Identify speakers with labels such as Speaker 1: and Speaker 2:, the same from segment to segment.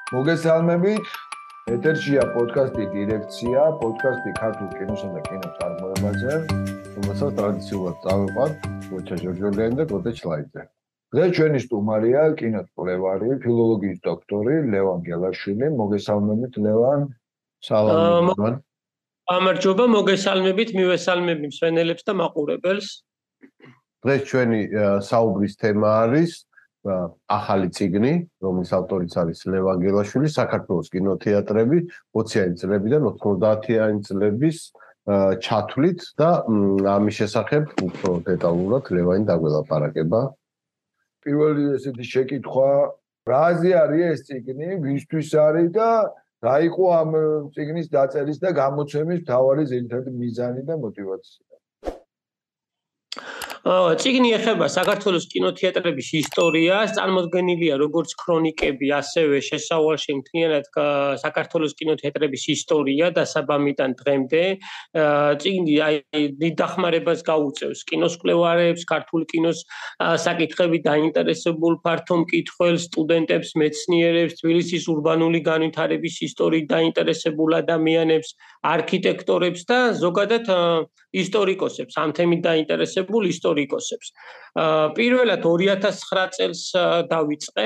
Speaker 1: მოგესალმებით. ეთერშია პოდკასტი დირექცია, პოდკასტი ქართულ კინოსა და კინოწარმოებაზე, რომელსაც ტრადიციულად წავიყვანთ გოჩა ჯორჯოლიანი და გოთა ჩლაიძე. დღეს ჩვენი სტუმარია კინოკვლევარი, ფილოლოგიის დოქტორი ლევან გელაშვილი. მოგესალმებით ლევან.
Speaker 2: სალამი ლევან. გამარჯობა, მოგესალმებით, მივესალმები მსვენელებს და მაყურებელს.
Speaker 3: დღეს ჩვენი საუბრის თემა არის ახალი წიგნი, რომლის ავტორიც არის ლევან გელაშვილი, საქართველოს კინოთეატრები 20-იანი წლებიდან 90-იანი წლების ჩათვლით და ამის შესახებ უფრო დეტალურად ლევანი დაგველაპარაკება.
Speaker 1: პირველი ესეთი შეკითხვა, რაზე არის ეს წიგნი, ვისთვის არის და რა იყო ამ წიგნის დაწერის და გამოცემის მთავარი ძირითადი მიზანი და мотиваცია?
Speaker 2: წიგნი ეხება საქართველოს კინოთეატრების ისტორიას, წარმოდგენილია როგორც ქრონიკები, ასევე შესავალში მთლიანად საქართველოს კინოთეატრების ისტორია დასაბამიდან დღემდე. წიგნი დიდ დახმარებას გაუწევს კინოს მკვლევარებს, ქართულ კინოს საკითხებით დაინტერესებულ ფართო მკითხველს, სტუდენტებს, მეცნიერებს, თბილისის ურბანული განვითარების ისტორიით დაინტერესებულ ადამიანებს, არქიტექტორებს და ზოგადად ისტორიკოსებს, ამ თემით დაინტერესებულ ისტორიკოსებს. პირველად 2009 წელს დავიწყე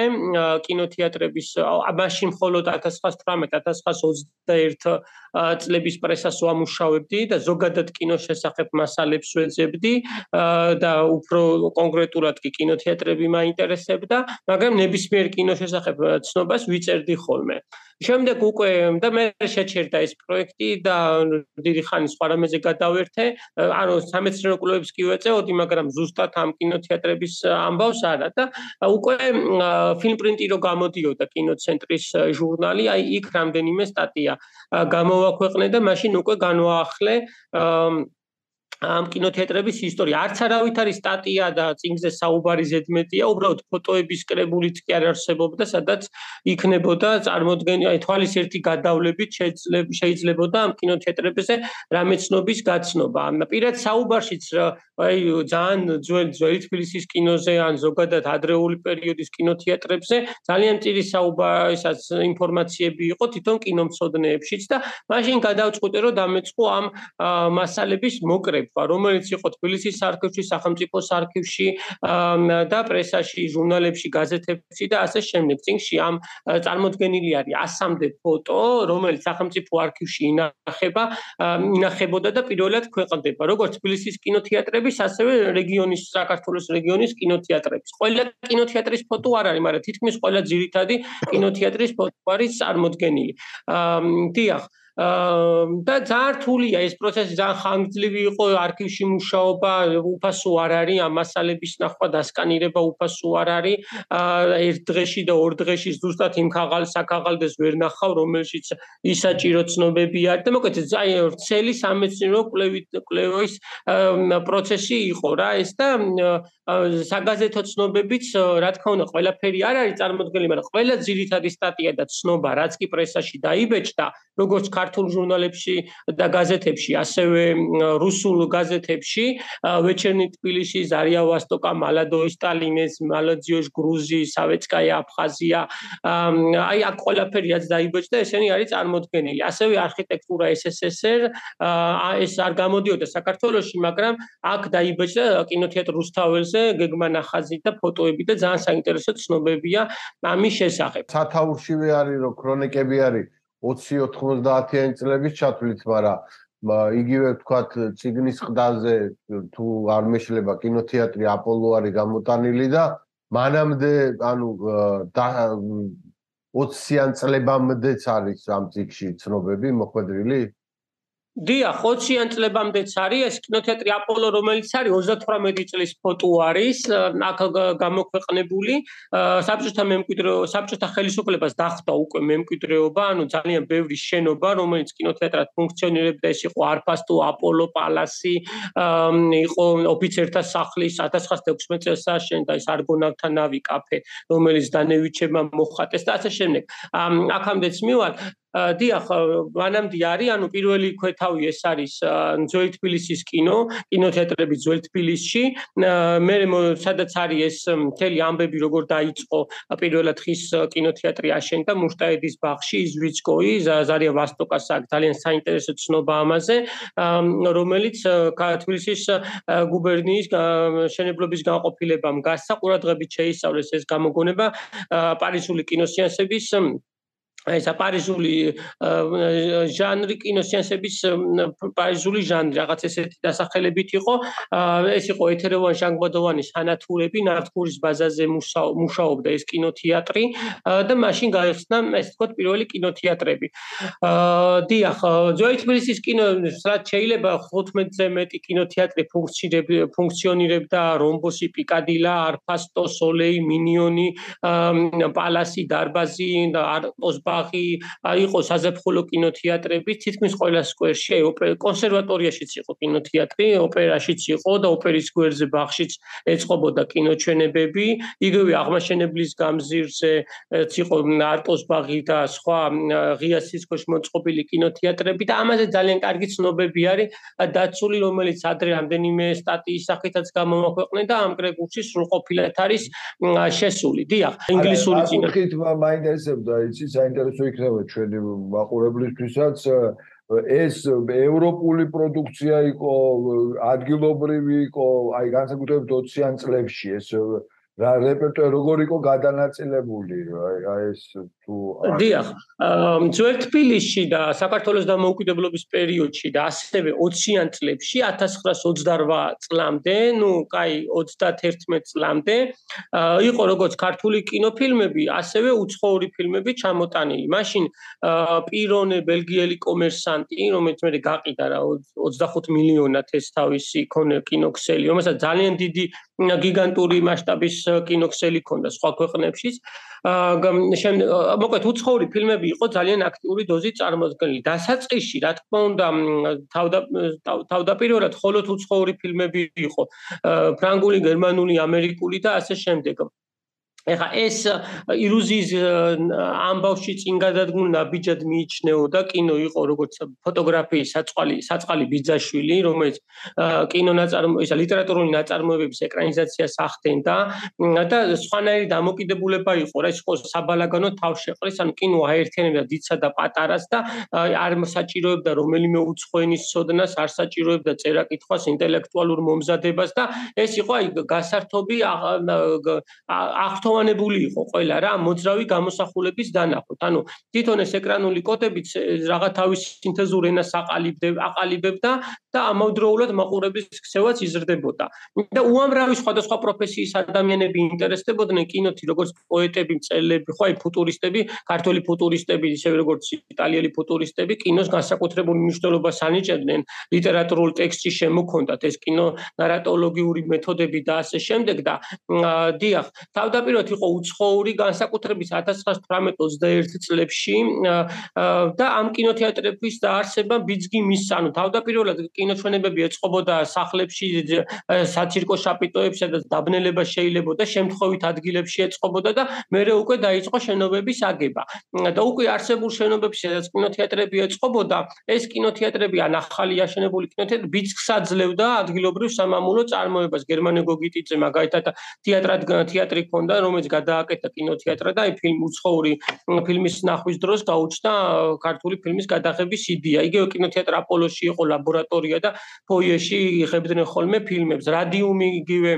Speaker 2: კინოთეატრების, მაშინ მხოლოდ 1918-1921 წლების პრესას ვამუშავებდი და ზოგადად კინოს შესახებ მასალებს ვეძებდი და უფრო კონკრეტულად კი კინოთეატრები მაინტერესებდა, მაგრამ ნებისმიერ კინოს შესახებ ცნობას ვიწერდი ხოლმე. შემდეგ უკვე და მე შეჩერდა ეს პროექტი და დიდი ხანი სხვა რამეზე გადავერთე, ანუ სამეცნიერო კვლევებს კი ვეწეოდი, მაგრამ ზუსტად ამ კინოთეატრების ამბავს არა და უკვე ფილმპრინტი რო გამოდიოდა კინოცენტრის ჟურნალი, აი იქ რამდენიმე სტატია გამოვაქვეყნე და მაშინ უკვე განვაახლე ამ კინოთეატრების ისტორია. არც არავით არის სტატია და წიგნზე საუბარი ზედმეტია, უბრალოდ ფოტოების კრებულით კი არ არსებობდა, სადაც იქნებოდა წარმოდგენილი, აი თვალის ერთი გადავლებით შეიძლებოდა ამ კინოთეატრებზე რამე ცნობის გაცნობა. პირად საუბარშიც აი ძალიან ძველი თბილისის კინოზე ან ზოგადად ადრეული პერიოდის კინოთეატრებზე ძალიან წირი საუბარისაც ინფორმაციები იყო თვითონ კინომცოდნეებშიც და მაშინ გადავწყვიტე რომ დამეწყო ამ მასალების მოკრება, რომელიც იყო თბილისის არქივში, სახელმწიფოს არქივში და პრესაში, ჟურნალებში, გაზეთებში და ასე შემდეგ. წიგნში ამ წარმოდგენილი არის 100-მდე ფოტო, რომელიც სახელმწიფო არქივში ინახებოდა და პირველად ქვეყნდება, როგორც თბილისის კინოთეატრების, ასევე რეგიონის, საქართველოს რეგიონის კინოთეატრების. ყველა კინოთეატრის ფოტო არ არის, მაგრამ თითქმის ყველა ძირითადი კინოთეატრის ფოტო არის წარმოდგენილი. დიახ. და ძალიან რთულია ეს პროცესი, ძალიან ხანგრძლივი იყო არქივში მუშაობა, უფასო არ არის, ამ მასალების ნახვა, დასკანირება უფასო არ არის. ერთ დღეში და ორ დღეში ზუსტად იმ საქაღალდეს ვერ ნახავ, რომელშიც ისაჭირო ცნობები არის და მოკლედ აი ვრცელი სამეცნიერო კვლევის პროცესი იყო რა ეს და საგაზეთო ცნობებიც, რა თქმა უნდა, ყველაფერი არ არის წარმოდგენილი, მაგრამ ყველა ძირითადი სტატია და ცნობა, რაც კი პრესაში დაიბეჭდა, როგორც ქართულ ჟურნალებში და გაზეთებში, ასევე რუსულ გაზეთებში, ვეჩერნი თბილისი, ზარია ვოსტოკა, მალადოი სტალინეს, მალაძიოშ გრუზი, სავეცკაია აფხაზია, აი აქ ყველაფერი რაც დაიბეჭდა, ესენი არის წარმოდგენილი. ასევე არქიტექტურა SSSR, ეს არ გამოდიოდა საქართველოში, მაგრამ აქ დაიბეჭდა კინოთეატრ რუსთაველზე გეგმა ნახაზი და ფოტოები და ძალიან საინტერესო ცნობებია ამის შესახებ.
Speaker 3: სათაურშივე არის რომ ქრონიკები არის 20-90-იანი წლების ჩათვლით, მაგრამ იგივე ვთქვათ წიგნის ყდაზე თუ არ მეშლება კინოთეატრი აპოლო არის გამოტანილი და მანამდე ანუ 20-იან წლებამდეც არის ამ წიგნში ცნობები მოხვედრილი?
Speaker 2: დიახ, 20-იან წლებამდეც არის ეს კინოთეატრი აპოლო, რომელიც არის 38 წლის ფოტო არის, აქ გამოქვეყნებული. საბჭოთა ხელისუფლებას დახვდა უკვე მემკვიდრეობა, ანუ ძალიან ბევრი შენობა, რომელიც კინოთეატრად ფუნქციონირებდა, ეს იყო არფასტო, აპოლო პალასი, იყო ოფიცერთა სახლი, 1916 წელს აშენდა ეს არგონავთა ნავი კაფე, რომელიც დანევიჩებმა მოხატეს და ასე შემდეგ. აქამდეც მივალ დიახ, მანამდე არის, ანუ პირველი ქვეთავი ეს არის ძველი თბილისის კინოთეატრები ძველ თბილისში. მე სადაც არის ეს მთელი ამბები როგორ დაიწყო პირველად ხის კინოთეატრი აშენდა მუშტაედის ბაღში იზვიცკოი ზარია ვასტოკას აქვს ძალიან საინტერესო ცნობა ამაზე, რომელიც თბილისის გუბერნიის მშენებლობის განყოფილებამ გასცა, ყურადღებით შეისწავლეს ეს გამოგონება პარიზული კინოსეანსების ეს პარიზული ჟანრი კინოსეანსების პარიზული ჟანრი რაღაც ესეთი დასახელებით იყო. ეს იყო ეთეროვან ჟანგბადოვანის ანათურები, ნავთქურის ბაზაზე მუშაობდა ეს კინოთეატრი და მაშინ გაიხსნა ეს თქო პირველი კინოთეატრები. დიახ, ძველი თბილისის კინო რაც შეიძლება 15-ზე მეტი კინოთეატრი ფუნქციონირებდა, რომბოსი, პიკადილა, არფასტო, სოლეი, მინიონი, პალასი, დარბაზი და არტოს იყო საზაფხულო კინოთეატრები, თითქმის ყველა სკვერში, კონსერვატორიაშიც იყო კინოთეატრი, ოპერაშიც იყო და ოპერის სკვერზე ბაღშიც ეწყობოდა კინოჩვენებები, იგივე აღმაშენებლის გამზირზე იყო არტოს ბაღი და სხვა ღია სისქოში მოწყობილი კინოთეატრები და ამაზე ძალიან კარგი ცნობები არის დაცული, რომელიც ადრე რამდენიმე სტატიის სახითაც გამოვაქვეყნე და ამ კრებულში სრულყოფილად არის შესული. დიახ, ინგლისური
Speaker 1: კინო მაინტერესებდა, იცი, საინტერესო იქნება ჩვენი მაყურებლისთვისაც ეს ევროპული პროდუქცია იყო, ადგილობრივი იყო, აი განსაკუთრებით 20-იან წლებში ეს რა რეპერტუარი როგორ იყო გადანაწილებული, აი ეს თუ
Speaker 2: დიახ, ძველ თბილისში და საქართველოს დამოუკიდებლობის პერიოდში და ასევე 20-იან წლებში 1928 წლამდე, ნუ კაი 31 წლამდე იყო როგორც ქართული კინოფილმები, ასევე უცხოური ფილმები ჩამოტანილი. მაშინ პირონე ბელგიელი კომერსანტი, რომელიც მე გაყიდა რა 25 მილიონად ეს თავისი კინოქსელი, რომელსაც ძალიან დიდი გიგანტური მასშტაბის კინოქსელი ქონდა სხვა ქვეყნებშიც. მოკლედ უცხოური ფილმები იყო ძალიან აქტიური დოზით წარმოდგენილი. დასაწყისში, რა თქმა უნდა, თავდაპირველად მხოლოდ უცხოური ფილმები იყო. ფრანგული, გერმანული, ამერიკული და ასე შემდეგ. ეხა ეს ილუზიის ამბავში წინ გადადგმულ ნაბიჯად მიიჩნეოდა, კინო იყო როგორც ფოტოგრაფიის საწყალი ბიძაშვილი, რომელიც ლიტერატურული ნაწარმოებების ეკრანიზაციას ახდენდა და სხვანაირი დამოკიდებულება იყო, რა ის იყო საბალაგანო თავშეყრის, ანუ კინო აერთიანებდა დიდსა და პატარას და არ საჭიროებდა რომელიმე უცხო ენის ცოდნას, არ საჭიროებდა წერა-კითხვას, ინტელექტუალურ მომზადებას და ეს იყო აი გასართობი აღთოვანებული იყო ყველა რა მოძრავი გამოსახულების დანახოთ. ანუ თვითონ ეს ეკრანული კოდებიც რაღა თავის სინთეზურ ენას აყალიბებდა და ამავდროულად მაყურებლის ქცევაც იზრდებოდა. და უამრავი სხვადასხვა პროფესიის ადამიანები ინტერესდებოდნენ კინოთი, როგორც პოეტები, მწერლები, ხო აი ფუტურისტები, ქართველი ფუტურისტები, ისევე როგორც იტალიელი ფუტურისტები, კინოს განსაკუთრებულ მნიშვნელობას ანიჭებდნენ, ლიტერატურულ ტექსტში შემოქონდათ ეს კინო ნარატოლოგიური მეთოდები და ასე შემდეგ და დიახ, თავდაპირველად იყო უცხოური განსაკუთრებით 1918-21 წლებში და ამ კინოთეატრების დაარსება ბიძგი მისცა. ანუ თავდაპირველად კინოჩვენებები ეწყობოდა სახლებში, საცირკო შაპიტოებში, სადაც დაბნელება შეიძლებოდა, შემთხვევით ადგილებში ეწყობოდა და მერე უკვე დაიწყო შენობების აგება. და უკვე არსებულ შენობებში, სადაც კინოთეატრები ეწყობოდა, ეს კინოთეატრები ან ახალი აშენებული კინოთეატრები ბიძგს აძლევდა ადგილობრივ სამამულო წარმოებას. გერმანე გოგიტიძე მაგალითად თეატრი ქონდა, რომელიც გადააკეთა კინოთეატრად და აი უცხოური ფილმის ნახვის დროს გაუჩნდა ქართული ფილმის გადაღების იდეა. იგივე კინოთეატრ აპოლოში იყო ლაბორატორია და ფოიეში იღებდნენ ხოლმე ფილმებს. რადიუმი იგივე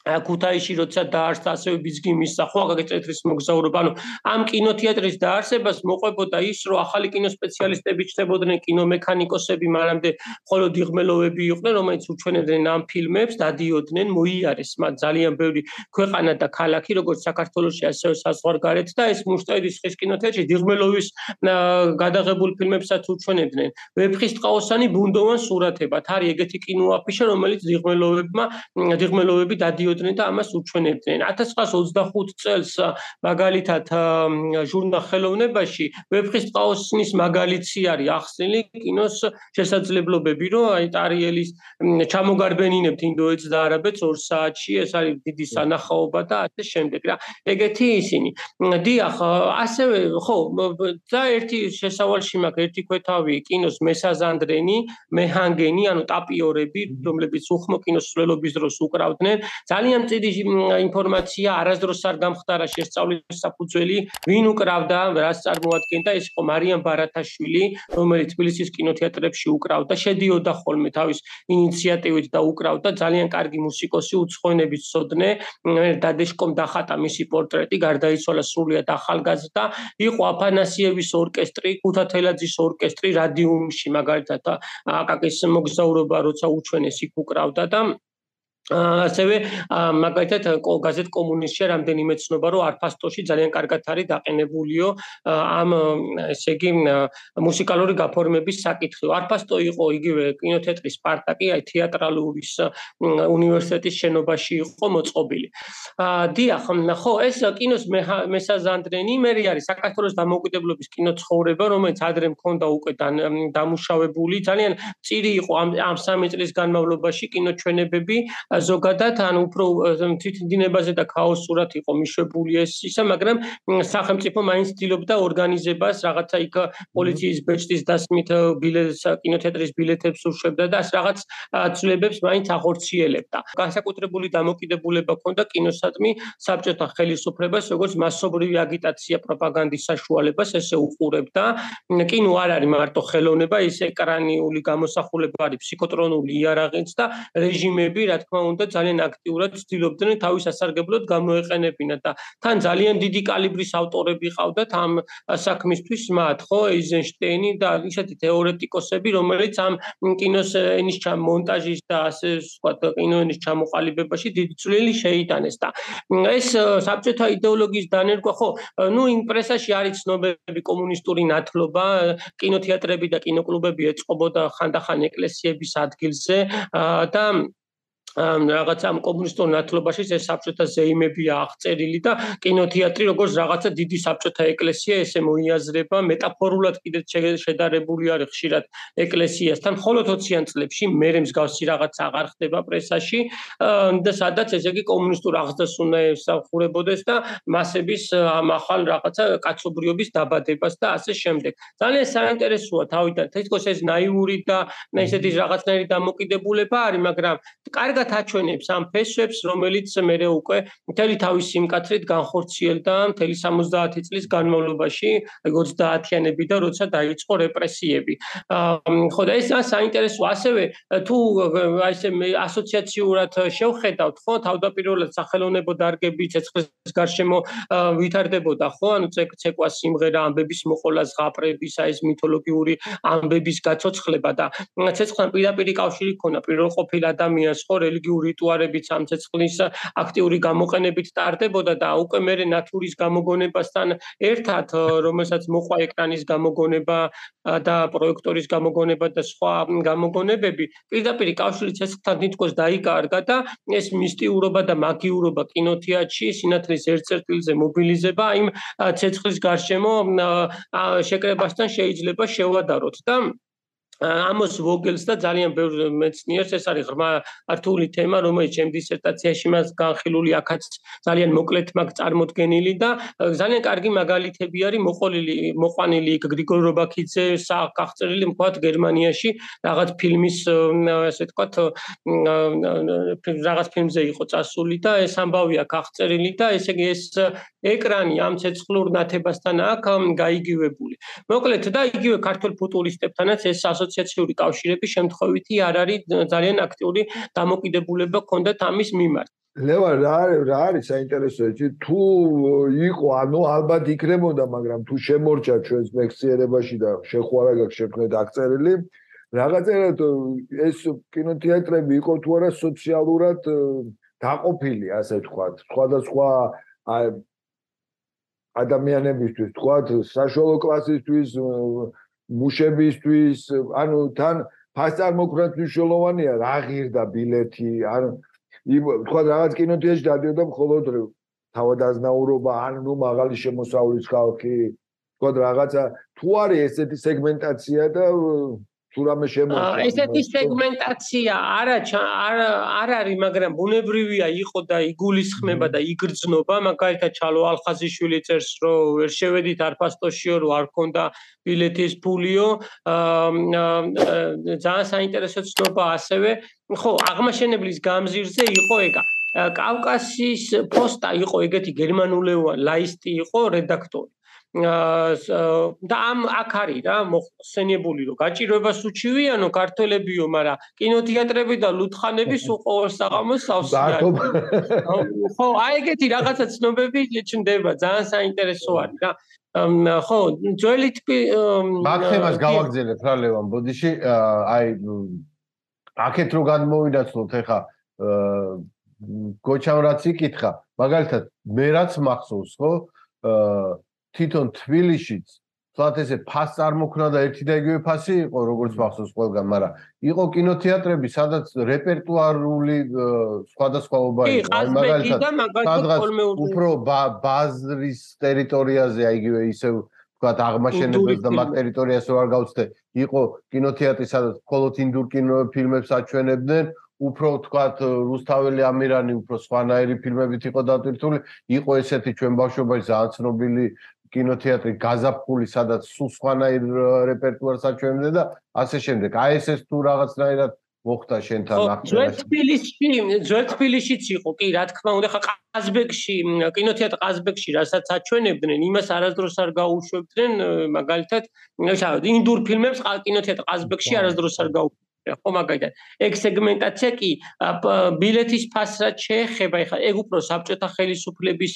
Speaker 2: ქუთაისში როცა დაარსდა ასევე ბიძგი მისცა ხო აგაკეთების მოგზაურობა. ანუ ამ კინოთეატრის დაარსებას მოყვებოდა ის, რომ ახალი კინოსპეციალისტები ჩნდებოდნენ, კინომექანიკოსები, მანამდე მხოლოდ იღმელოვები იყვნენ, რომელიც უჩვენებდნენ ამ ფილმებს, დადიოდნენ, მოიარეს მათ ძალიან ბევრი ქვეყანა და ქალაქი, როგორც საქართველოში, ასევე საზღვარგარეთ და ეს მუშტაედის ხის კინოთეატრში იღმელოვის გადაღებულ ფილმებსაც უჩვენებდნენ. ვეფხისტყაოსანი ბუნდოვან სურათებად არის ეგეთი კინოაფიშა, რომელიც იღმელოვები დადიოდნენ გადადიოდნენ და ამას უჩვენებდნენ. 1925 წელს მაგალითად ჟურნალ ხელოვნებაში ვეფხისტყაოსნის მაგალითი არის ახსნილი კინოს შესაძლებლობები, რომ აი ტარიელის ჩამოგარბენინებთ ინდოეთს და არაბეთს 2 საათში, ეს არის დიდი სანახაობა და ასე შემდეგ რა. ეგეთი ისინი. დიახ, ასევე ხო, და ერთი შესავალში მაქვს, ერთი ქვეთავი კინოს მესაზანდრენი, მეჰანგენი, ანუ ტაპიორები, რომლებიც უხმო კინოს სრულობის დროს უკრავდნენ. ძალიან დიდი ინფორმაცია არასდროს არ გამხდარა შესწავლის საფუძველი, ვინ უკრავდა, რას წარმოადგენდა, ეს იყო მარიამ ბარათაშვილი, რომელიც თბილისის კინოთეატრებში უკრავდა, შედიოდა ხოლმე თავის ინიციატივით და უკრავდა, ძალიან კარგი მუსიკოსი, უცხოენების ცოდნე, დადეშკომ დახატა მისი პორტრეტი, გარდაიცვალა სრულიად ახალგაზრდა, იყო აფანასიევის ორკესტრი, ქუთათელაძის ორკესტრი რადიუმში, მაგალითად აკაკის მოგზაურობა, როცა უჩვენეს იქ უკრავდა და ასევე მაგალითად გაზეთ კომუნისტში რამდენიმე ცნობა რომ არფასტოში ძალიან კარგად არის დაყენებულიო ამ ესე იგი მუსიკალური გაფორმების საკითხი. არფასტო იყო იგივე კინოთეატრი სპარტაკი, აი თეატრალურის უნივერსიტეტის შენობაში იყო მოწყობილი. დიახ, ხო, ეს კინოს მესაზანდრენი მერი არის საქართველოს დამოუკიდებლობის კინოცხოვრება, რომელიც ადრე მქონდა უკვე დამუშავებული, ძალიან წირი იყო ამ 3 წლის განმავლობაში კინოჩვენებები ზოგადად ან უფრო თვითდინებაზე და ქაოსურად იყო მიშვებული ეს ისა, მაგრამ სახელმწიფო მაინც ცდილობდა ორგანიზებას, რაღაცა იქ პოლიციის ბეჭდის დასმით კინოთეატრის ბილეთებს უშვებდა და რაღაც ცვლილებებს მაინც ახორციელებდა. განსაკუთრებული დამოკიდებულება ჰქონდა კინოსადმი საბჭოთა ხელისუფლებას, როგორც მასობრივი აგიტაცია, პროპაგანდის საშუალებას, ესე უყურებდა. კინო არ არის მარტო ხელოვნება, ის ეკრანული გამოსახულება არის ფსიქოტრონული იარაღიც და რეჟიმები, რა თქმა უნდა, ძალიან აქტიურად ცდილობდნენ თავის სასარგებლოდ გამოეყენებინათ და თან ძალიან დიდი კალიბრის ავტორები ყავდათ ამ საქმისთვის მათ, ხო, ეიზენშტეინი და ისეთი თეორეტიკოსები, რომელიც ამ კინოს ენის მონტაჟის და ასე ვთქვათ, კინოენის ჩამოყალიბებაში დიდი წვლილი შეიტანეს და ეს საბჭოთა იდეოლოგიის დანერგვა, ხო, ნუ იმ პრესაში არის ცნობები კომუნისტური ნათლობა, კინოთეატრები და კინოკლუბები ეწყობოდა ხანდახან ეკლესიების ადგილზე და რაღაცა ამ კომუნისტურ ნათლობაში ეს საბჭოთა ზეიმებია აღწერილი და კინოთეატრი როგორც რაღაცა დიდი საბჭოთა ეკლესია ესე მოიაზრება, მეტაფორულად კიდეც შედარებული არის ხშირად ეკლესიასთან, ხოლო 20-იან წლებში მერე მსგავსი რაღაც აღარ ხდება პრესაში და სადაც ესე იგი კომუნისტურ აღზრდას უნდა ემსახურებოდეს და მასების ამ ახალ რაღაცა კაცობრიობის დაბადებას და ასე შემდეგ. ძალიან საინტერესოა თავიდან, თითქოს ეს ნაიური და ესეთი რაღაცნაირი დამოკიდებულება არის, მაგრამ კარგად აჩვენებს ამ ფესვებს, რომელიც მერე უკვე მთელი თავის სიმკაცრით განხორციელდა მთელი 70 წლის განმავლობაში, 30-იანები და როცა დაიწყო რეპრესიები. ხო და ეს საინტერესოა, ასევე თუ აი ესე ასოციაციურად შევხედავთ, ხო, თავდაპირველად სახელოვნებო დარგები ცეცხლის გარშემო ვითარდებოდა, ხო, ანუ ცეკვა სიმღერა, ამბების მოყოლა, ზღაპრების, აი ეს მითოლოგიური ამბების გაცოცხლება და ცეცხლთან პირდაპირი კავშირი ჰქონდა პირველყოფილ ადამიანს, ხო, რელიგიური რიტუალებით ამ ცეცხლის აქტიური გამოყენებით ტარდებოდა და უკვე მერე ნათურის გამოგონებასთან ერთად, რომელსაც მოყვა ეკრანის გამოგონება და პროექტორის გამოგონება და სხვა გამოგონებები, პირდაპირი კავშირი ცეცხლთან თითქოს დაიკარგა და ეს მისტიურობა და მაგიურობა კინოთეატრში სინათლის ერთ-ერთილზე მობილიზება იმ ცეცხლის გარშემო შეკრებასთან შეიძლება შევადაროთ და ამოს ვოგელს და ძალიან ბევრ მეცნიერს ეს არის ღრმა რთული თემა, რომელიც ჩემ დისერტაციაში მას განხილული აქაც ძალიან მოკლედ მაქვს წარმოდგენილი და ძალიან კარგი მაგალითები არის მოყვანილი იქ გრიგორ რობაქიძე გახწერილი მხოლოდ გერმანიაში რაღაც ფილმის ასე ვთქვათ რაღაც ფილმზე იყო წასული და ეს ამბავი აქ აღწერილი და ესე იგი ეს ეკრანი ამ ცეცხლურ ნათებასთან აქ გაიგივებული. მოკლედ და იგივე ქართველ ფუტურისტებთანაც ეს ასოციაციური კავშირები შემთხვევითი არ არის ძალიან აქტიური დამოკიდებულება ჰქონდათ ამის მიმართ.
Speaker 1: ლევან, რა არის საინტერესო ეჭი, თუ იყო, ანუ ალბათ იქნებოდა, მაგრამ თუ შემორჩა ჩვენს მექციერებაში და შეხوارა გაქვს შექმნეთ აღწერილი, რაღაცერად ეს კინოთეატრები იყო თუ არა სოციალურად დაყოფილი, ასე ვთქვათ, სხვადასხვა ადამიანებისთვის, ვთქვათ, საშუალო კლასისთვის, მუშებისთვის, ანუ თან ფასწარმოქმედად მნიშვნელოვანია რა ღირდა ბილეთი, ან თქვა რაღაც კინოთეატრში დადიოდა მხოლოდ თავადაზნაურობა ან ნუ მაღალი შემოსავლის ხალხი თქვა რაღაცა თუ არის ესეთი სეგმენტაცია და თუ რამე შემოჭრა
Speaker 2: ესეთი სეგმენტაცია არ არის, მაგრამ ბუნებრივია იყო და იგულისხმება და იგრძნობა, მაგალითად ჩალო ალხაზიშვილი წერს, რომ ვერ შევედით არფასტოშიო, რომ არ ქონდა ბილეთის ფულიო, ძალიან საინტერესო ცნობა ასევე, ხო, აღმაშენებლის გამზირზე იყო ეგა. კავკასიის პოსტა იყო ეგეთი გერმანულენოვანი ლაისტი იყო რედაქტორი. და აქ არის რა მოხსენებული რომ გაჭირვებას უჩივიანო ქართველებიო, მაგრამ კინოთეატრები და ლუთხანები სულ ყოველ საღამოს სავსეა. ხო, აი ეგეთი რაღაცა ცნობები ჩნდება, ძალიან საინტერესო არის რა. ხო, ძველი
Speaker 3: მაგ თემას გავაგზავნეთ რა ლევან ბოდიში, აი აქეთ რო გადმოვინაცვლოთ ეხა გოჩამ რაც იკითხა, მაგალითად მე რაც მახსოვს, ხო, თვითონ თბილისშიც თქვათ ესე ფას წარმოქმნა და ერთი და იგივე ფასი იყო როგორც მახსოვს ყველგან, მაგრამ იყო კინოთეატრები, სადაც რეპერტუარული სხვადასხვაობა იყო. აი მაგალითად სადღაც უფრო ბაზრის ტერიტორიაზე, აი იგივე ისევ თქვათ აღმაშენებელს და მაგ ტერიტორიას რო არ გავცდე, იყო კინოთეატრი, სადაც მხოლოდ ინდურ კინოფილმებს აჩვენებდნენ, უფრო თქვათ რუსთაველი ამირანი უფრო სხვანაირი ფილმებით იყო დატვირთული, იყო ესეთი ჩვენ ბავშვობაში ძალიან ცნობილი კინოთეატრი გაზაფხული, სადაც სულ სხვანაირ რეპერტუარს აჩვენებდა და ასე შემდეგ. აი ეს თუ რაღაცნაირად მოხდა შენთან
Speaker 2: ახლა. ძველ თბილისშიც იყო, კი, რა თქმა უნდა, ხა ყაზბეგში, კინოთეატრ ყაზბეგში, რასაც აჩვენებდნენ, იმას არასდროს არ გაუშვებდნენ, მაგალითად, ინდურ ფილმებს კინოთეატრ ყაზბეგში არასდროს არ გაუშვებდნენ. ხო, მაგალითად, ეგ სეგმენტაცია კი ბილეთის ფასრად შეეხება, ეხლა ეგ უფრო საბჭოთა ხელისუფლების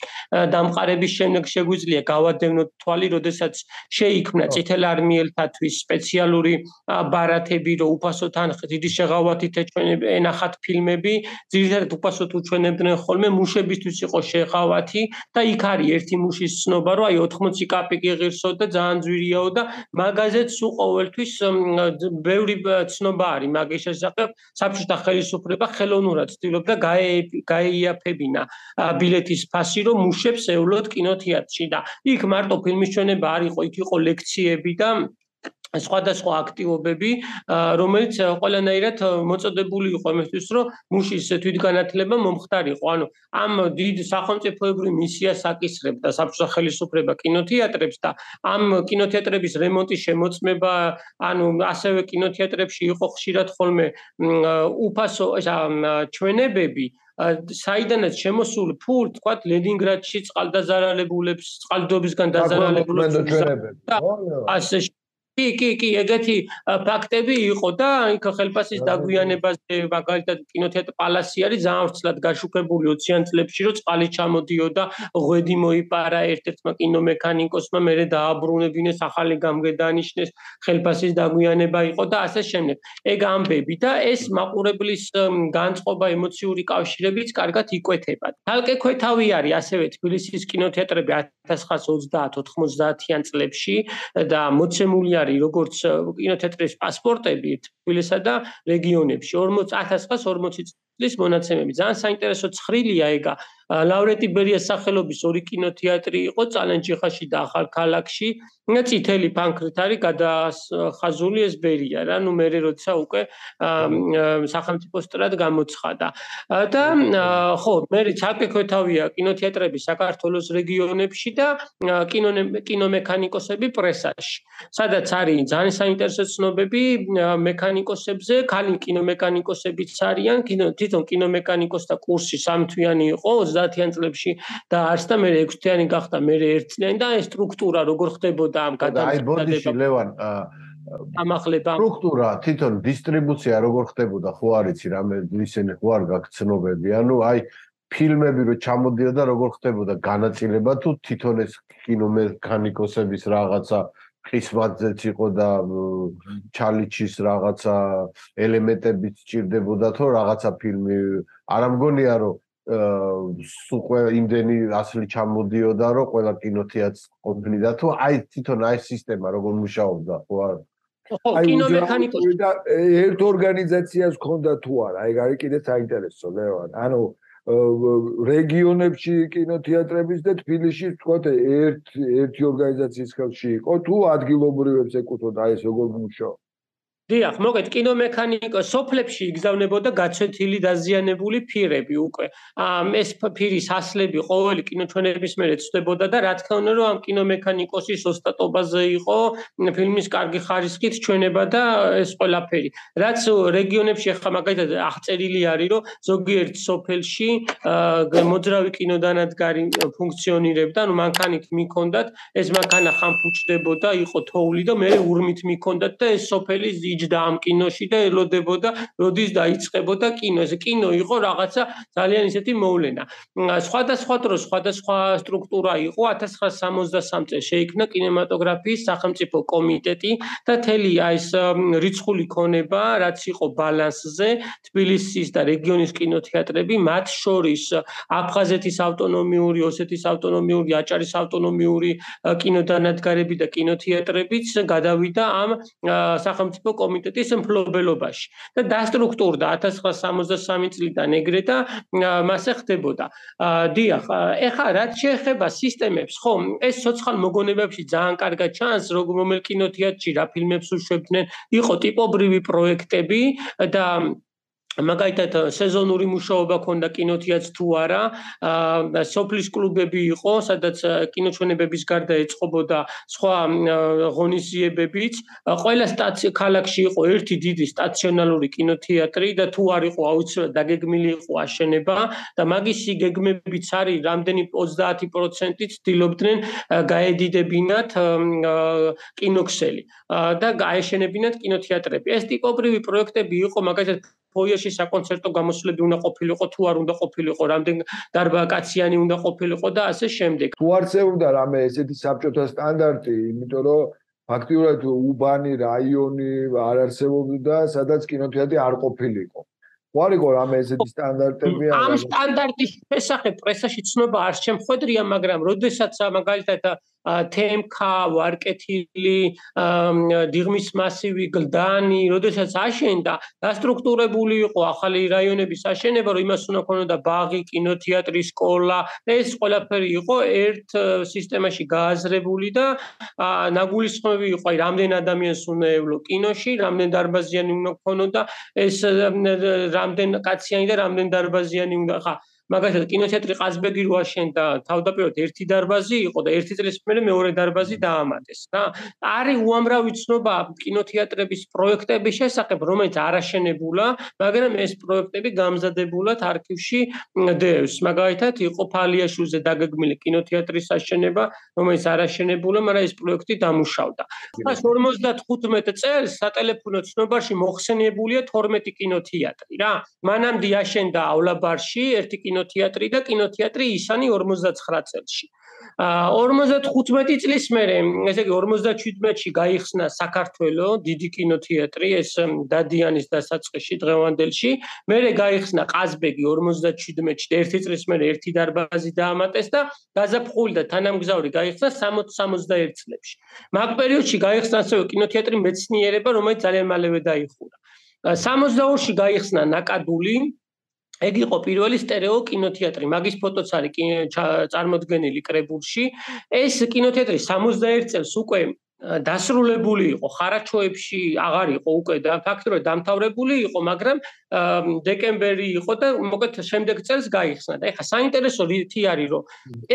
Speaker 2: დამყარების შემდეგ შეგვიძლია გავადევნოთ თვალი, როდესაც შეიქმნა წითელ არმიელთათვის სპეციალური ბარათები, რომ უფასო თანხით, დიდი შეღავათით ენახათ ფილმები, ძირითადად უფასოდ უჩვენებდნენ ხოლმე, მუშებისთვის იყო შეღავათი და იქ არის ერთი მუშის ცნობა, რომ აი 80 კაპიკი ღირსო და ძალიან ძვირიაო და მაგაზეც სულ ყოველთვის ბევრი ცნობა მაგის შესახებ საბჭოთა ხელისუფლება ხელოვნურად ცდილობდა გაეიაფებინა ბილეთის ფასი, რომ მუშებს ევლოთ კინოთეატრში და იქ მარტო ფილმის ჩვენება არ იყო, იქ იყო ლექციები და სხვადასხვა აქტივობები, რომელიც ყველანაირად მოწოდებული იყო იმისთვის, რომ მუშის თვითგანათლება მომხდარიყო. ანუ ამ დიდ სახელმწიფოებრივ მისიას აკისრებდა საბჭოთა ხელისუფლება კინოთეატრებს და ამ კინოთეატრების რემონტის შემოწმება, ანუ ასევე კინოთეატრებში იყო ხშირად ხოლმე უფასო ჩვენებები, საიდანაც შემოსული ფული, თქვათ, ლენინგრადში წყალდაზარალებულებს, წყალდიდობისგან დაზარალებულებს კი, ეგეთი ფაქტები იყო და იქ ხელფასის დაგვიანებაზე, მაგალითად, კინოთეატრ პალასი არის ძალიან ვრცლად გაშუქებული 20-იან წლებში, რომ წყალი ჩამოდიოდა, ღვედი მოიპარა ერთ-ერთმა კინომექანიკოსმა, მერე დააბრუნებინეს, ახალი გამგედანიშნეს, ხელფასის დაგვიანება იყო და ასე შემდეგ. ეგ ამბები და ეს მაყურებლის განწყობა, ემოციური კავშირებიც კარგად იკვეთება. თალკე ქვეთავი არის ასევე თბილისის კინოთეატრები 1930-90-იან წლებში და მოცემული როგორც კინოთეატრის პასპორტები თბილისსა და რეგიონებში 1940 წლის მონაცემები. ძალიან საინტერესო ცხრილია ეგა. ლავრენტი ბერიას სახელობის ორი კინოთეატრი იყო წალენჯიხაში და ახალქალაქში. წითელი ფანქრით არის გადახაზული ეს ბერია რა. ნუ მე როცა უკვე სახელმწიფო სტრად გამოცხადა. და ხო, მე ცალკე ქვეთავია კინოთეატრები საქართველოს რეგიონებში და კინომექანიკოსები პრესაში. სადაც არის ძალიან საინტერესო ცნობები მექანიკოსებზე, ქალი კინომექანიკოსებიც არიან, თვითონ კინომექანიკოსთა კურსი 3 თვიანი იყო 30-იან წლებში და არც და მე 6 თვიანი გახდა, მე 1 წლიანი და ეს სტრუქტურა როგორ ხდებოდა ამ
Speaker 3: გადამწყვეტება. აი ბოდიში ლევან,
Speaker 2: ამახლება
Speaker 3: სტრუქტურა, თვითონ დისტრიბუცია როგორ ხდებოდა, ხო არიცი, რამე ისინი ხო არ გაგცნობები, ანუ აი ფილმები რო ჩამოდიოდა, როგორ ხდებოდა განაწილება თუ თვითონ ეს კინომექანიკოსების რაღაცა ხისმაძეც იყო და ჩალიჩის რაღაცა ელემენტებიც სჭირდებოდა თუ რაღაცა ფილმი არ ამგონია რომ სულ ყველა იმდენი ასლი ჩამოდიოდა რომ ყველა კინოთეატრს ყოფნიდა თუ აი თვითონ აი სისტემა როგორ მუშაობდა ხო
Speaker 2: კინომექანიკოსი
Speaker 1: და ერთ ორგანიზაციას ჰქონდა თუ არა, ეგ არის კიდე საინტერესო, ლევან. ანუ რეგიონებში კინოთეატრების და თბილისში თქვათ ერთი ორგანიზაციის ხელში იყო თუ ადგილობრივებს ეკუთვნოდა ეს როგორ მუშაობს?
Speaker 2: დიახ, მოგეთ კინომექანიკოს სოფლებში იგზავნებოდა გაცვეთილი დაზიანებული ფირები უკვე. ეს ფირის ასლები ყოველი კინოჩვენების მერე ცვლებოდა და რა თქმა უნდა რომ ამ კინომექანიკოსის ოსტატობაზე იყო ფილმის კარგი ხარისხით ჩვენება და ეს ყველაფერი. რაც რეგიონებში ახლა მაგალითად აღწერილი არის რომ ზოგიერთ სოფელში მოძრავი კინოდანადგარი ფუნქციონირებდა, ანუ მანქანით მიქონდათ, ეს მანქანა ხამფუჩდებოდა, იყო თოვლი და მე ურმით მიქონდათ და ეს სოფელი იჯდა ამ კინოში და ელოდებოდა, როდის დაიწყებოდა კინო. ეს კინო იყო რაღაცა ძალიან ისეთი მოვლენა. სხვადასხვა დროს სხვადასხვა სტრუქტურა იყო. 1963 წელს შეიქმნა კინემატოგრაფიის სახელმწიფო კომიტეტი და თელი ეს რიცხული ქონება, რაც იყო ბალანსზე, თბილისის და რეგიონის კინოთეატრები, მათ შორის აფხაზეთის ავტონომიური, ოსეთის ავტონომიური, აჭარის ავტონომიური კინოდანადგარები და კინოთეატრებიც გადავიდა ამ სახელმწიფო კომიტეტის მფლობელობაში და დასტრუქტურდა 1963 წლიდან ეგრე და მასე ხდებოდა. დიახ, ეხლა რაც შეეხება სისტემებს, ხო, ეს ცოცხალ მოგონებებში ძალიან კარგად ჩანს, რომელ კინოთეატრში რა ფილმებს უშვებდნენ, იყო ტიპობრივი პროექტები და მაგალითად სეზონური მუშაობა ქონდა კინოთეატრს თუ არა, სოფლის კლუბები იყო, სადაც კინოჩვენებების გარდა ეწყობოდა სხვა ღონისძიებებიც. ყველა ქალაქში იყო ერთი დიდი სტაციონალური კინოთეატრი და თუ არ იყო აუცილებლად დაგეგმილი იყო აშენება და მაგისი გეგმებიც არის რამდენი 30%-ით ცდილობდნენ გაედიდებინათ კინოქსელი და გაეშენებინათ კინოთეატრები. ეს ტიპობრივი პროექტები იყო მაგალითად ფოიეში საკონცერტო გამოსვლები უნდა ყოფილიყო, თუ არ უნდა ყოფილიყო, რამდენ დარბაკაციანი უნდა ყოფილიყო და ასე შემდეგ.
Speaker 1: თუ არსებობდა რამე ესეთი საბჭოთა სტანდარტი, იმიტომ რომ ფაქტიურად უბანი რაიონი არ არსებობდა, სადაც კინოთეატრი არ ყოფილიყო. თუ არ იყო რამე ესეთი სტანდარტები?
Speaker 2: ამ სტანდარტის შესახებ პრესაში ცნობა არ შემხვედრია, მაგრამ როდესაც მაგალითად თემქა, ვარკეთილი, დიღმის მასივი, გლდანი, როდესაც აშენდა, დასტრუქტურებული იყო ახალი რაიონების აშენება, რომ იმას უნდა ქონოდა ბაღი, კინოთეატრი, სკოლა, ეს ყველაფერი იყო ერთ სისტემაში გააზრებული და ნაგულისხმები იყო, აი რამდენ ადამიანს უნდა ევლო კინოში, რამდენ დარბაზიანი უნდა ქონოდა, ეს რამდენ კაციანი და რამდენ დარბაზიანი უნდა ხა მაგალითად კინოთეატრი ყაზბეგი რო აშენდა თავდაპირველად ერთი დარბაზი იყო და ერთი წლის მერე მეორე დარბაზი დაამატეს რა. არის უამრავი ცნობა კინოთეატრების პროექტების შესახებ, რომელიც არ აშენებულა, მაგრამ ეს პროექტები გამზადებულად არქივში დევს. მაგალითად იყო ფალიაშვილზე დაგეგმილი კინოთეატრის აშენება, რომელიც არ აშენებულა, მაგრამ ეს პროექტი დამუშავდა. 55 წელს სატელეფონო ცნობარში მოხსენიებულია 12 კინოთეატრი რა. მანამდე აშენდაავლაბარში ერთი კინოთეატრი და კინოთეატრი ისანი 59 წელში. 55 წლის მერე, ესე იგი 57-ში გაიხსნა საქართველო დიდი კინოთეატრი, ეს დადიანის დასაწყისში დღევანდელში, მერე გაიხსნა ყაზბეგი 57-ში და ერთი წლის მერე ერთი დარბაზი დაამატეს და გაზაფხული და თანამგზავრი გაიხსნა 60-61 წლებში. მაგ პერიოდში გაიხსნა ასევე კინოთეატრი მეცნიერება, რომელიც ძალიან მალევე დაიხურა. 62-ში გაიხსნა ნაკადული ეგ იყო პირველი სტერეო კინოთეატრი. მაგის ფოტოც არის წარმოდგენილი კრებულში. ეს კინოთეატრი 61 წელს უკვე დასრულებული იყო, ხარაჩოებში აღარ იყო უკვე და ფაქტობრივად დამთავრებული იყო, მაგრამ დეკემბერი იყო და მოკეთ შემდეგ წელს გაიხსნა. და ეხლა საინტერესო რითი არის, რომ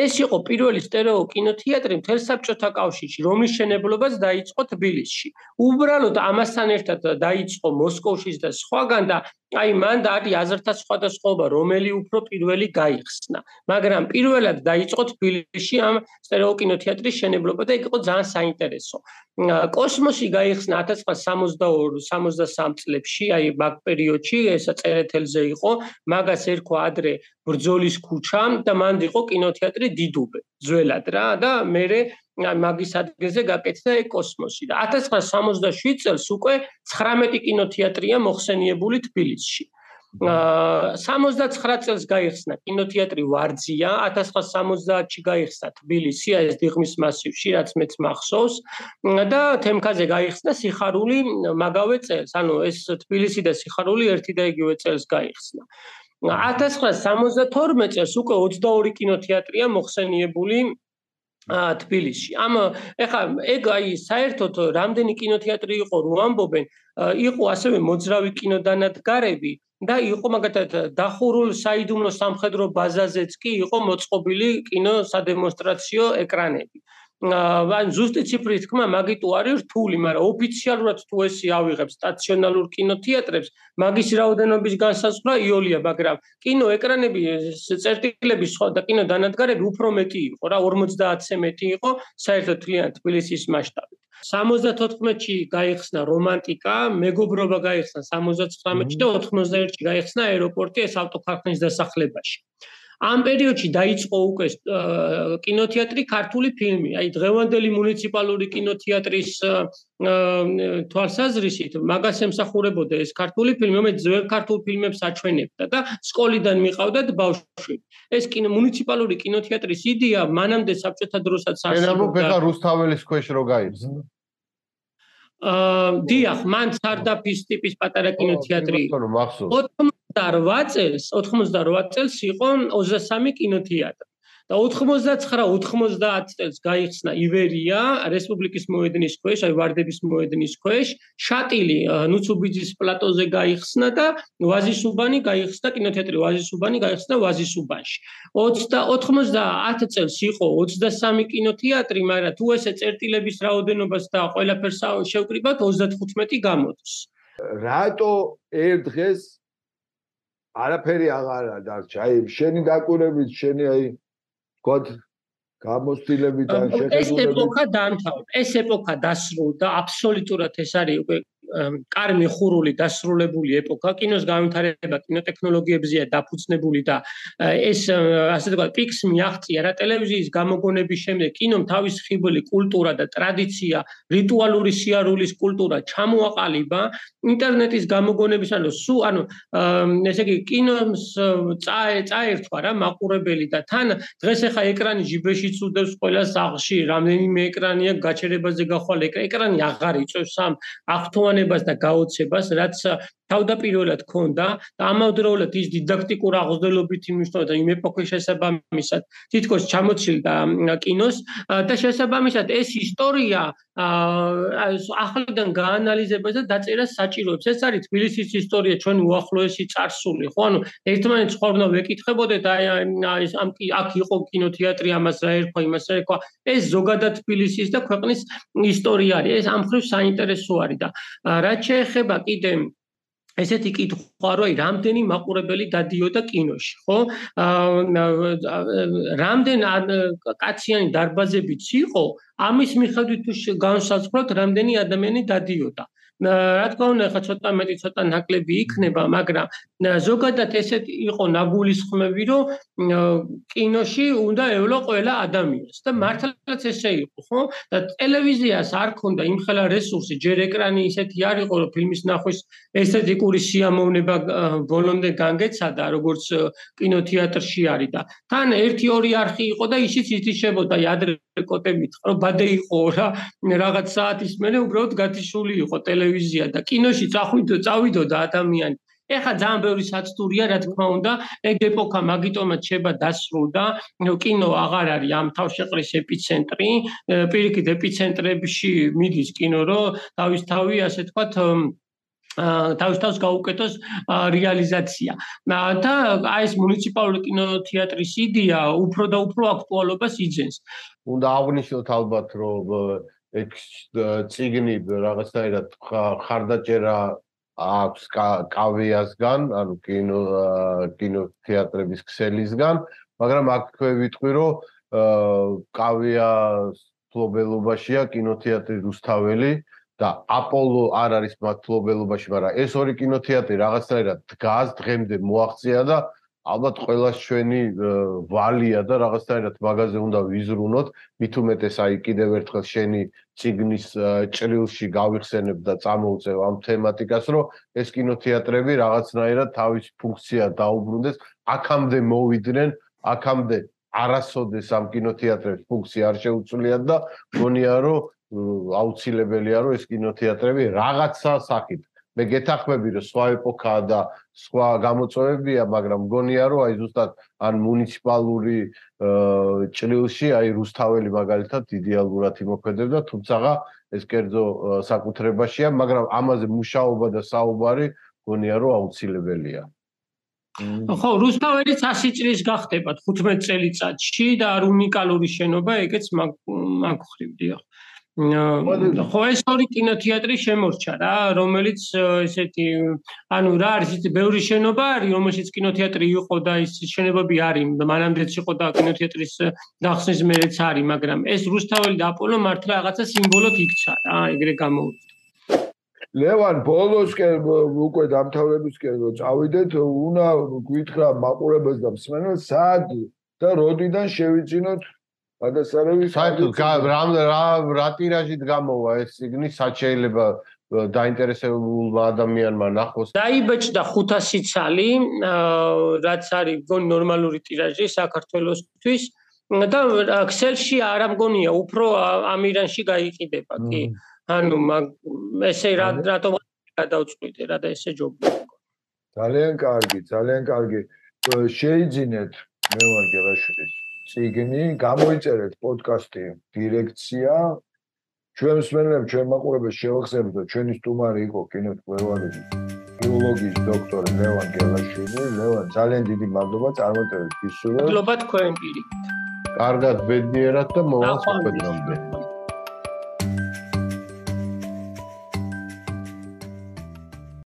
Speaker 2: ეს იყო პირველი სტერეო კინოთეატრი მთელ საბჭოთა კავშირში, რომლის მშენებლობაც დაიწყო თბილისში. უბრალოდ ამასთან ერთად დაიწყო მოსკოვშიც და სხვაგან და აი მან არის აზრთა სხვადასხვაობა, რომელი უფრო პირველი გაიხსნა. მაგრამ პირველად დაიწყო თბილისში ამ სტერეო კინოთეატრის მშენებლობა და იქ იყო ძალიან საინტერესო. კოსმოსი გაიხსნა 1962-63 წლებში, აი მაგ პერიოდში, ეს წერეთელზე იყო, მაგას ერქვა ადრე ბრძოლის ქუჩა და მანდ იყო კინოთეატრი დიდუბე, ძველად რა და მერე მაგის ადგილზე გაკეთდა კოსმოსი და 1967 წელს უკვე 19 კინოთეატრია მოხსენიებული თბილისში. 69 წელს გაიხსნა კინოთეატრი ვარძია, 1970-ში გაიხსნა თბილისი, ეს დიღმის მასივში, რაც მეც მახსოვს და თემქაზე გაიხსნა სიხარული მაგავე წელს. ანუ ეს თბილისი და სიხარული ერთი და იგივე წელს გაიხსნა. 1972 წელს უკვე 22 კინოთეატრია მოხსენიებული თბილისში. ეხლა ეგ საერთოდ რამდენი კინოთეატრი იყო რო ამბობენ, იყო ასევე მოძრავი კინოდანადგარები და იყო მაგათად დახურულ საიდუმლო სამხედრო ბაზაზეც კი იყო მოწყობილი კინოსადემონსტრაციო ეკრანები. ან ზუსტი ციფრის თქმა მაგიტო არის რთული, მაგრამ ოფიციალურად თუ ესი ავიღებს სტაციონალურ კინოთეატრებს, მაგის რაოდენობის განსაზღვრა იოლია, მაგრამ კინოეკრანები, წერტილები სხვა და კინოდანადგარები უფრო მეტი იყო რა, 50-ზე მეტი იყო საერთოდ თლიანი თბილისის მასშტაბით. 74-ში გაიხსნა რომანტიკა, მეგობრობა გაიხსნა 79-ში და 91-ში გაიხსნა აეროპორტი ეს ავტოქარხნის დასახლებაში. ამ პერიოდში დაიწყო უკვე კინოთეატრი ქართული ფილმი. აი დღევანდელი მუნიციპალური კინოთეატრის თვალსაზრისით მაგას ემსახურებოდა ეს ქართული ფილმი, რომელიც ძველ ქართულ ფილმებს აჩვენებდა და სკოლიდან მიყავდათ ბავშვები. ეს მუნიციპალური კინოთეატრის იდეა მანამდე საბჭოთა დროსაც
Speaker 3: არსებობდა. ეხლა რუსთაველის ქვეშ რო გაიხსნა.
Speaker 2: დიახ, მან სარდაფის ტიპის პატარა კინოთეატრი იყო. 88 წელს იყო 23 კინოთეატრი და 99-90 წელს გაიხსნა ივერია რესპუბლიკის მოედნის ქვეშ, აი ვარდების მოედნის ქვეშ, შატილი ნუცუბიძის პლატოზე გაიხსნა და ვაზისუბანი გაიხსნა კინოთეატრი ვაზისუბანი გაიხსნა ვაზისუბანში. 90 წელს იყო 23 კინოთეატრი, მაგრამ თუ ესე წერტილების რაოდენობას და ყველაფერს შევკრიბავთ 35 გამოდის.
Speaker 1: რატო ერთ დღეს არაფერი აღარა დარჩა. აი შენი დაკვირვებით, შენი აი თქვათ გამოცდილებით ან შეხედულებით
Speaker 2: ეს ეპოქა დაამთავრა. ეს ეპოქა დასრულდა, აბსოლუტურად ეს არის უკვე კარგი ხურული დასრულებული ეპოქა. კინოს განვითარება კინოტექნოლოგიებზეა დაფუძნებული და ეს ასე ვთქვათ პიქს მიაღწია რა ტელევიზიის გამოგონების შემდეგ კინომ თავის ხიბლი კულტურა და ტრადიცია, რიტუალური სიარულის კულტურა ჩამოაყალიბა. ინტერნეტის გამოგონების ესე იგი კინოს წაერთვა რა მაყურებელი და თან დღეს ახლა ეკრანი ჯიბეშიც უდევს ყველა სახლში, რამდენიმე ეკრანია გაჩერებაზე გახვალ ეკრანი აღარ იწევს ამ აღთოვანებას და გაოცებას, რაც თავდაპირველად ქონდა და ამავდროულად ის დიდაქტიკურ აღზრდელობით იმუშავებდა იმ ეპოქის შესაბამისად თითქოს ჩამოცილდა კინოს და შესაბამისად ეს ისტორია ახლიდან გაანალიზებას და დაწერას საჭიროებს. ეს არის თბილისის ისტორია, ჩვენი უახლოესი წარსული, ხო? ერთმანეთს ხوار უნდა ვეკითხებოდეთ, აქ იყო კინოთეატრი, ამას რა ერქვა, იმას რა ერქვა. ეს ზოგადად თბილისის და ქვეყნის ისტორია არის. ეს ამ მხრივ საინტერესო არის და რაც შეეხება კიდე ესეთი კითხვა რომ რამდენი მაყურებელი დადიოდა კინოში, ხო? რამდენ კაციანი დარბაზებიც იყო, ამის მიხედვით თუ განსაზღვრავთ, რამდენი ადამიანი დადიოდა. რა თქმა უნდა, ხა ცოტა მეტი, ცოტა ნაკლები იქნება, მაგრამ ზოგადად ესეთ იყო ნაგულისხმები, რომ კინოში უნდა ევლო ყველა ადამიანს და მართლაც ესე იყო, ხო? და ტელევიზიას არ ქონდა იმხელა რესურსი, ჯერ ეკრანი ისეთი არ იყო, რომ ფილმის ნახვის ესთეტიკური სიამოვნება ბოლომდე განგეცადა, როგორც კინოთეატრში არის და თან 1-2 არხი იყო და ისიც ითიშებოდა ადრე კოტებით, რომ ბადე იყო რა, რაღაც საათის მერე უბრალოდ გათიშული იყო ტელევიზია და კინოში წავიდოდა ადამიანი. ეხლა ძალიან ბევრი საცდურია, რა თქმა უნდა, ეგ ეპოქა მაგიტომაც შეება დასრულდა, კინო აღარ არის ამ თავშეყრის ეპიცენტრი, პირიქით ეპიცენტრებში მიდის კინო, რომ თავისთავი, ასე თქვათ, თავის გაუკეთოს რეალიზაცია. და აი ეს მუნიციპალური კინოთეატრის იდეა უფრო და უფრო აქტუალობას იძენს.
Speaker 3: უნდა აღვნიშნოთ ალბათ, რომ ეგ წიგნი რაღაცნაირად ხარდაჭერა აქვს კავიასგან, ანუ კინოთეატრების ქსელისგან, მაგრამ აქ თქვენ ვიტყვი, რომ კავიას ფლობელობაშია კინოთეატრი რუსთაველი და აპოლო არ არის მათ ფლობელობაში, მაგრამ ეს ორი კინოთეატრი რაღაცნაირად დგას, დღემდე მოაღწია და ალბათ ყველას ჩვენი ვალია და რაღაცნაირად მაგაზე უნდა ვიზრუნოთ, მით უმეტეს აი კიდევ ერთხელ შენი წიგნის ჭრილში გავიხსენებ და წამოვწევ ამ თემატიკას, რომ ეს კინოთეატრები რაღაცნაირად თავის ფუნქცია დაუბრუნდეს, აქამდე მოვიდნენ, აქამდე არასოდეს ამ კინოთეატრების ფუნქცია არ შეუცვლიათ და მგონია რომ აუცილებელია რომ ეს კინოთეატრები რაღაცა სახით მე გეთახმები რომ სხვა ეპოქაა და სხვა გამოწვევებია, მაგრამ მგონია რომ აი ზუსტად ან მუნიციპალური ჭრილში აი რუსთაველი მაგალითად იდეალურად იმოქმედებდა, თუმცა ეს კერძო საკუთრებაშია, მაგრამ ამაზე მუშაობა და საუბარი მგონია რომ აუცილებელია.
Speaker 2: ხო, რუსთაველი 100 წლის გახდება 15 წელიწადში და არ უნიკალური შენობა, ეგეც მაგხრივდია. ხო, ეს ორი კინოთეატრი შემორჩა რა, რომელიც ესეთი, ანუ რა არის, ისეთი ბევრი შენობა არის, რომელშიც კინოთეატრი იყო და ის შენობები არის, მანამდეც იყო და კინოთეატრის გახსნის მერეც არის, მაგრამ ეს რუსთაველი და აპოლო მართლა რაღაცა სიმბოლოდ იქცა რა, ეგრე გამოვიდა.
Speaker 1: ლევან, ბოლოსკენ უკვე დამთავრებისკენ რომ წავიდეთ, უნდა გითხრა მაყურებელს და მსმენელს სად და როდიდან შევიძინოთ გადასარევი
Speaker 3: საერთოდ რა ტირაჟით გამოვა ეს წიგნი, სად შეიძლება დაინტერესებულმა ადამიანმა ნახოს?
Speaker 2: დაიბეჭდა 500 ცალი, რაც არის გონი ნორმალური ტირაჟი საქართველოსთვის და ქსელში არ ამგონია, უფრო ამირანში გაიყიდება კი. ანუ ესე რატომ გადავწყვიტე რა და ესე ჯობია.
Speaker 1: ძალიან კარგი, ძალიან კარგი. შეიძინეთ ლევან გელაშვილის წიგნი, გამოიწერეთ პოდკასტი დირექცია. ჩვენ მსმენელებს, ჩვენ მაყურებელს შევახსენებთ, რომ ჩვენი სტუმარი იყო კინოთმცემლის ფილოლოგიის დოქტორი ლევან გელაშვილი. ლევან, ძალიან დიდი მადლობა წარმატებებს გისურვებთ.
Speaker 2: მადლობა თქვენ პირით.
Speaker 3: კარგად, ბედნიერად და მოვალ საქმედრომდე.